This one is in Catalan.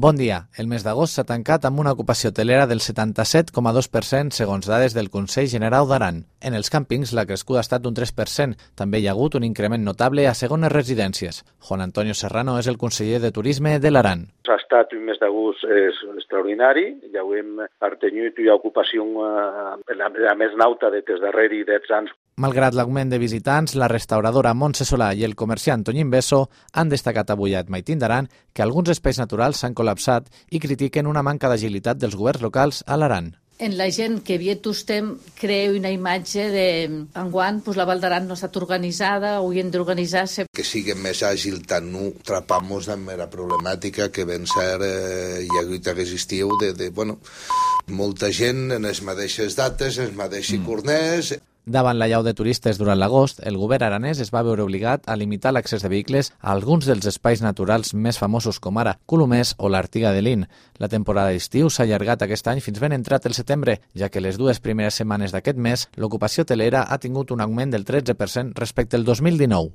Bon dia. El mes d'agost s'ha tancat amb una ocupació hotelera del 77,2% segons dades del Consell General d'Aran. En els càmpings la crescuda ha estat d'un 3%. També hi ha hagut un increment notable a segones residències. Juan Antonio Serrano és el conseller de Turisme de l'Aran. Ha estat un mes d'agost extraordinari, ja ho hem artenyut, hi ha ocupació la més nauta des darrere 10 anys. Malgrat l'augment de visitants, la restauradora Montse Solà i el comerciant Toñín Besso han destacat avui a Maitín d'Aran que alguns espais naturals s'han col·lapsat i critiquen una manca d'agilitat dels governs locals a l'Aran. En la gent que havia tostem crea una imatge de enguany la Val d'Aran no ha estat organitzada, hauríem d'organitzar-se. Que sigui més àgil, tant no trapamos amb la problemàtica que ben ser hi ha hagut aquest estiu de molta gent en les mateixes dates, en els mateixos corners. Davant l'allau de turistes durant l'agost, el govern aranès es va veure obligat a limitar l'accés de vehicles a alguns dels espais naturals més famosos com ara Colomers o l'Artiga de Lin. La temporada d'estiu s'ha allargat aquest any fins ben entrat el setembre, ja que les dues primeres setmanes d'aquest mes l'ocupació hotelera ha tingut un augment del 13% respecte al 2019.